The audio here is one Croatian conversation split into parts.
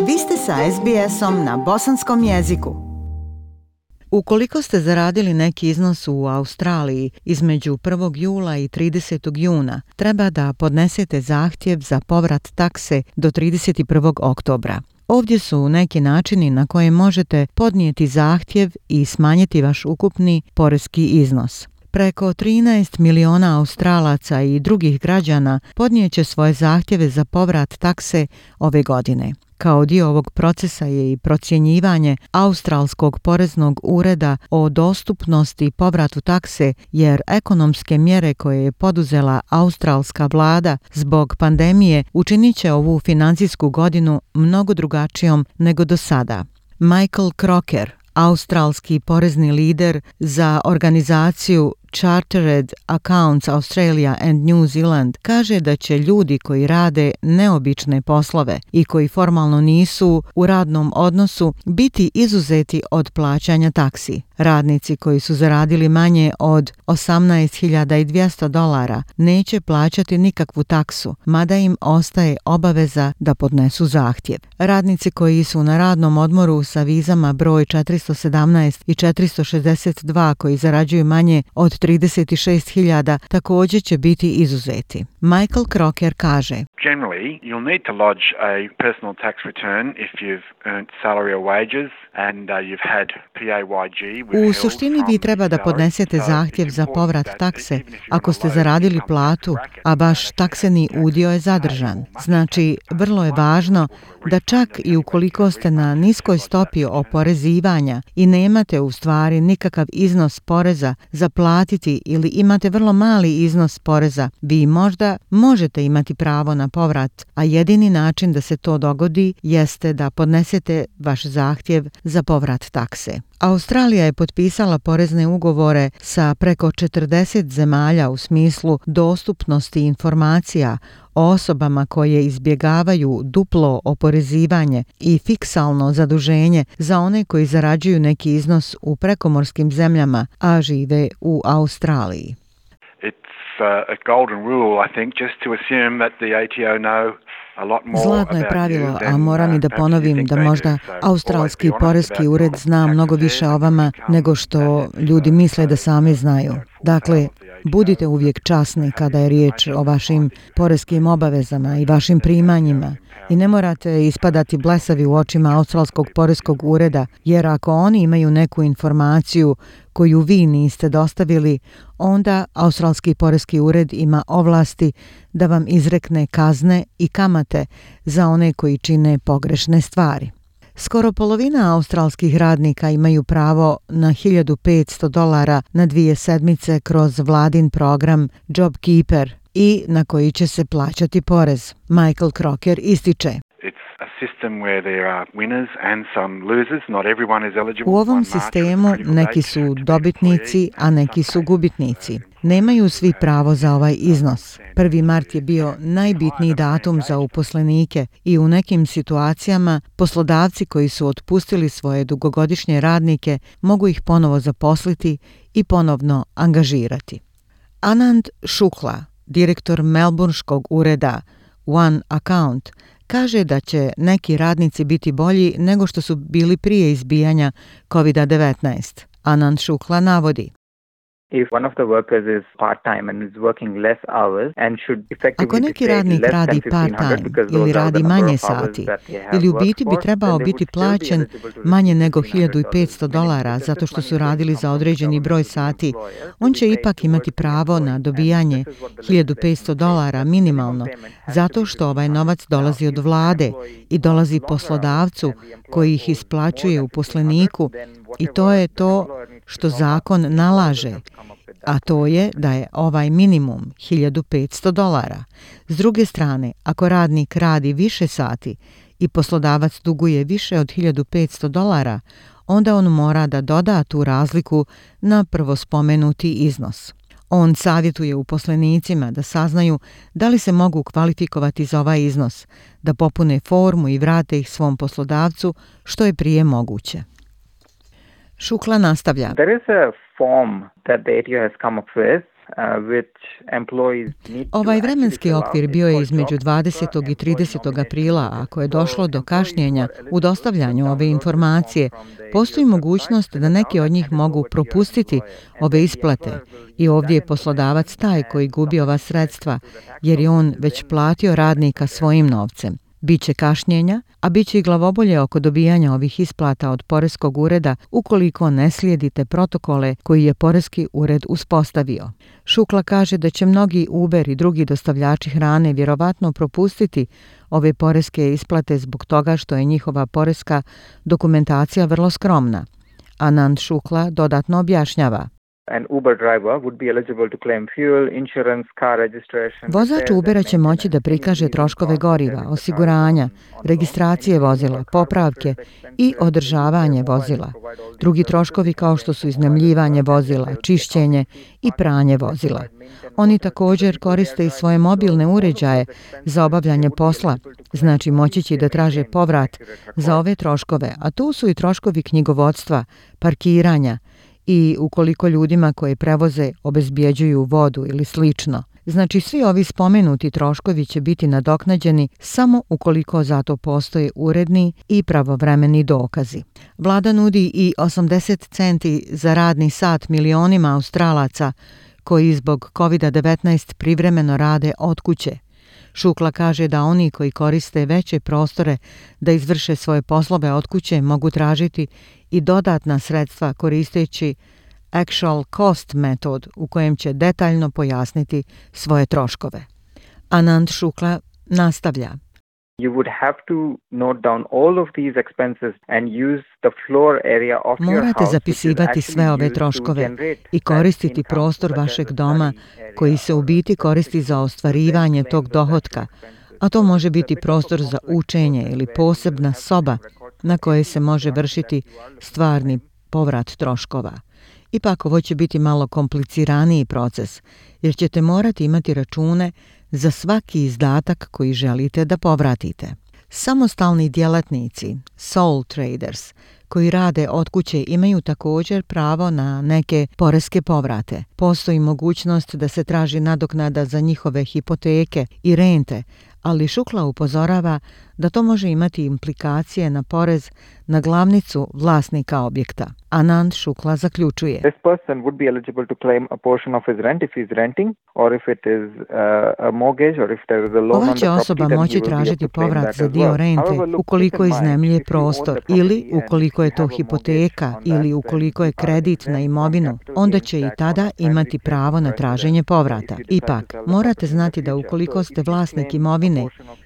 Vi ste sa SBS-om na bosanskom jeziku. Ukoliko ste zaradili neki iznos u Australiji između 1. jula i 30. juna, treba da podnesete zahtjev za povrat takse do 31. oktobra. Ovdje su neki načini na koje možete podnijeti zahtjev i smanjiti vaš ukupni poreski iznos. Preko 13 miliona Australaca i drugih građana podnijeće svoje zahtjeve za povrat takse ove godine. Kao dio ovog procesa je i procjenjivanje Australskog poreznog ureda o dostupnosti povratu takse, jer ekonomske mjere koje je poduzela australska vlada zbog pandemije učinit će ovu financijsku godinu mnogo drugačijom nego do sada. Michael Crocker, australski porezni lider za organizaciju Chartered Accounts Australia and New Zealand, kaže da će ljudi koji rade neobične poslove i koji formalno nisu u radnom odnosu biti izuzeti od plaćanja taksi. Radnici koji su zaradili manje od $18,200 neće plaćati nikakvu taksu, mada im ostaje obaveza da podnesu zahtjev. Radnici koji su na radnom odmoru sa vizama broj 417 i 462 koji zarađuju manje od 36.000 također će biti izuzeti. Michael Crocker kaže: Generally, you'll need to lodge a personal tax return if you've earned salary or wages and you've had PAYG. U suštini vi treba da podnesete zahtjev za povrat takse ako ste zaradili platu, a baš takseni udio je zadržan. Znači, vrlo je važno da čak i ukoliko ste na niskoj stopi oporezivanja i nemate u stvari nikakav iznos poreza za platiti ili imate vrlo mali iznos poreza, vi možda možete imati pravo na povrat, a jedini način da se to dogodi jeste da podnesete vaš zahtjev za povrat takse. Australija je potpisala porezne ugovore sa preko 40 zemalja u smislu dostupnosti informacija o osobama koje izbjegavaju duplo oporezivanje i fiksalno zaduženje za one koji zarađuju neki iznos u prekomorskim zemljama, a žive u Australiji. A golden rule, I think, just to assume that the ATO know. Zlatno je pravilo, a moram i da ponovim da možda australski poreski ured zna mnogo više o vama nego što ljudi misle da sami znaju. Dakle, budite uvijek časni kada je riječ o vašim poreskim obavezama i vašim primanjima i ne morate ispadati blesavi u očima australskog poreskog ureda, jer ako oni imaju neku informaciju koju vi niste dostavili, onda australski poreski ured ima ovlasti da vam izrekne kazne i kamate za one koji čine pogrešne stvari. Skoro polovina australskih radnika imaju pravo na $1.500 na 2 sedmice kroz vladin program JobKeeper i na koji će se plaćati porez. Michael Crocker ističe: U ovom sistemu neki su dobitnici, a neki su gubitnici. Nemaju svi pravo za ovaj iznos. 1. mart je bio najbitniji datum za uposlenike i u nekim situacijama poslodavci koji su otpustili svoje dugogodišnje radnike mogu ih ponovo zaposliti i ponovno angažirati. Anand Shukla, direktor melbourneškog ureda One Account, kaže da će neki radnici biti bolji nego što su bili prije izbijanja COVID-19. Anand Shukla navodi: Ako neki radnik radi part-time ili radi manje sati, ili u biti bi trebao biti plaćen manje nego $1.500 zato što su radili za određeni broj sati, on će ipak imati pravo na dobijanje $1.500 minimalno, zato što ovaj novac dolazi od vlade i dolazi poslodavcu koji ih isplaćuje uposleniku, i to je to što zakon nalaže, a to je da je ovaj minimum $1.500. S druge strane, ako radnik radi više sati i poslodavac duguje više od $1.500, onda on mora da doda tu razliku na prvo spomenuti iznos. On savjetuje uposlenicima da saznaju da li se mogu kvalifikovati za ovaj iznos, da popune formu i vrate ih svom poslodavcu što je prije moguće. Shukla nastavlja: There is a form that the ATO has come up with Ovaj vremenski okvir bio je između 20. i 30. aprila. Ako je došlo do kašnjenja u dostavljanju ove informacije, postoji mogućnost da neki od njih mogu propustiti ove isplate i ovdje je poslodavac taj koji gubi ova sredstva jer je on već platio radnika svojim novcem. Biće kašnjenja, a biće i glavobolje oko dobijanja ovih isplata od poreskog ureda ukoliko ne slijedite protokole koji je poreski ured uspostavio. Šukla kaže da će mnogi Uber i drugi dostavljači hrane vjerovatno propustiti ove poreske isplate zbog toga što je njihova poreska dokumentacija vrlo skromna. Anand Shukla dodatno objašnjava. Vozač Ubera će moći da prikaže troškove goriva, osiguranja, registracije vozila, popravke i održavanje vozila. Drugi troškovi kao što su iznajmljivanje vozila, čišćenje i pranje vozila. Oni također koriste i svoje mobilne uređaje za obavljanje posla, znači moći će da traže povrat za ove troškove, a tu su i troškovi knjigovodstva, parkiranja, i ukoliko ljudima koje prevoze obezbjeđuju vodu ili slično. Znači svi ovi spomenuti troškovi će biti nadoknađeni samo ukoliko za to postoje uredni i pravovremeni dokazi. Vlada nudi i 80 centi za radni sat milionima Australaca koji zbog COVID-19 privremeno rade od kuće. Shukla kaže da oni koji koriste veće prostore da izvrše svoje poslove od kuće mogu tražiti i dodatna sredstva koristeći actual cost metod u kojem će detaljno pojasniti svoje troškove. Anand Shukla nastavlja. Morate zapisivati sve ove troškove i koristiti prostor vašeg doma koji se u biti koristi za ostvarivanje tog dohotka, a to može biti prostor za učenje ili posebna soba na kojoj se može vršiti stvarni povrat troškova. Ipak ovo će biti malo kompliciraniji proces, jer ćete morati imati račune za svaki izdatak koji želite da povratite. Samostalni djelatnici, sole traders, koji rade od kuće imaju također pravo na neke poreske povrate. Postoji mogućnost da se traži nadoknada za njihove hipoteke i rente, ali Shukla upozorava da to može imati implikacije na porez na glavnicu vlasnika objekta. Anand Shukla zaključuje. Ova će osoba moći tražiti povrat za dio rente ukoliko iznajmljuje prostor ili ukoliko je to hipoteka ili ukoliko je kredit na imovinu, onda će i tada imati pravo na traženje povrata. Ipak, morate znati da ukoliko ste vlasnik imovine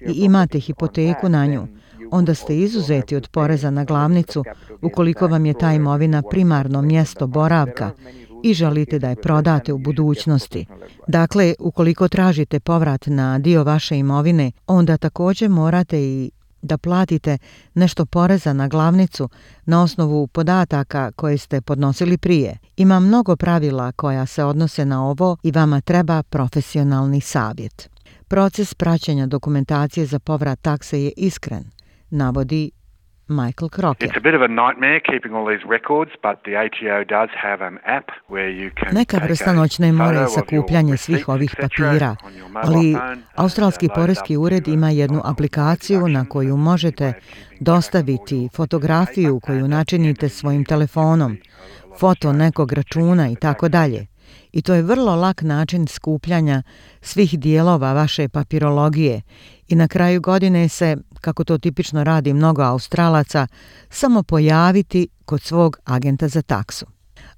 i imate hipoteku na nju, onda ste izuzeti od poreza na glavnicu ukoliko vam je ta imovina primarno mjesto boravka i želite da je prodate u budućnosti. Dakle, ukoliko tražite povrat na dio vaše imovine, onda također morate i da platite nešto poreza na glavnicu na osnovu podataka koje ste podnosili prije. Ima mnogo pravila koja se odnose na ovo i vama treba profesionalni savjet. Proces praćenja dokumentacije za povrat takse je iskren, navodi Michael Crocker. Neka vrsta noćne more je sakupljanje svih ovih papira, ali Australski poreski ured ima jednu aplikaciju na koju možete dostaviti fotografiju koju načinite svojim telefonom, foto nekog računa i tako dalje. I to je vrlo lak način skupljanja svih dijelova vaše papirologije i na kraju godine se, kako to tipično radi mnogo Australaca, samo pojaviti kod svog agenta za taksu.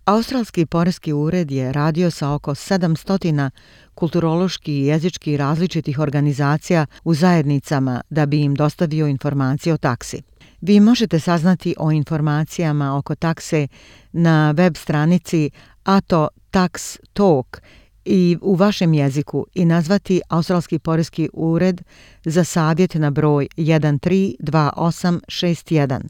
Australski poreski ured je radio sa oko 700 kulturološki i jezički različitih organizacija u zajednicama da bi im dostavio informacije o taksi. Vi možete saznati o informacijama oko takse na web stranici ATO Tax Talk i u vašem jeziku i nazvati Australski poreski ured za savjet na broj 132861.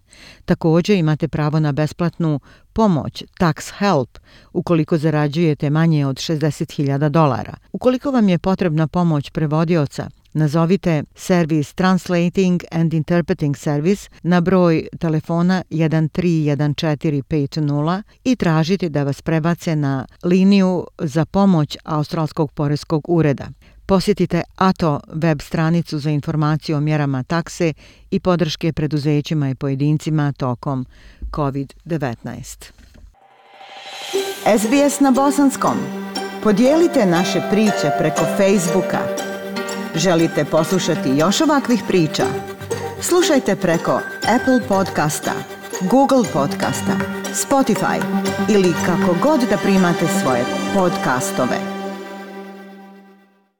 Također imate pravo na besplatnu pomoć Tax Help ukoliko zarađujete manje od $60,000. Ukoliko vam je potrebna pomoć prevodioca, Nazovite servis Translating and Interpreting Service na broj telefona 131450 i tražite da vas prebace na liniju za pomoć Australskog poreskog ureda. Posjetite ATO web stranicu za informaciju o mjerama takse i podrške preduzećima i pojedincima tokom COVID-19. SBS na bosanskom. Podijelite naše priče preko Facebooka. Želite poslušati još ovakvih priča? Slušajte preko Apple podcasta, Google podcasta, Spotify ili kako god da primate svoje podcastove.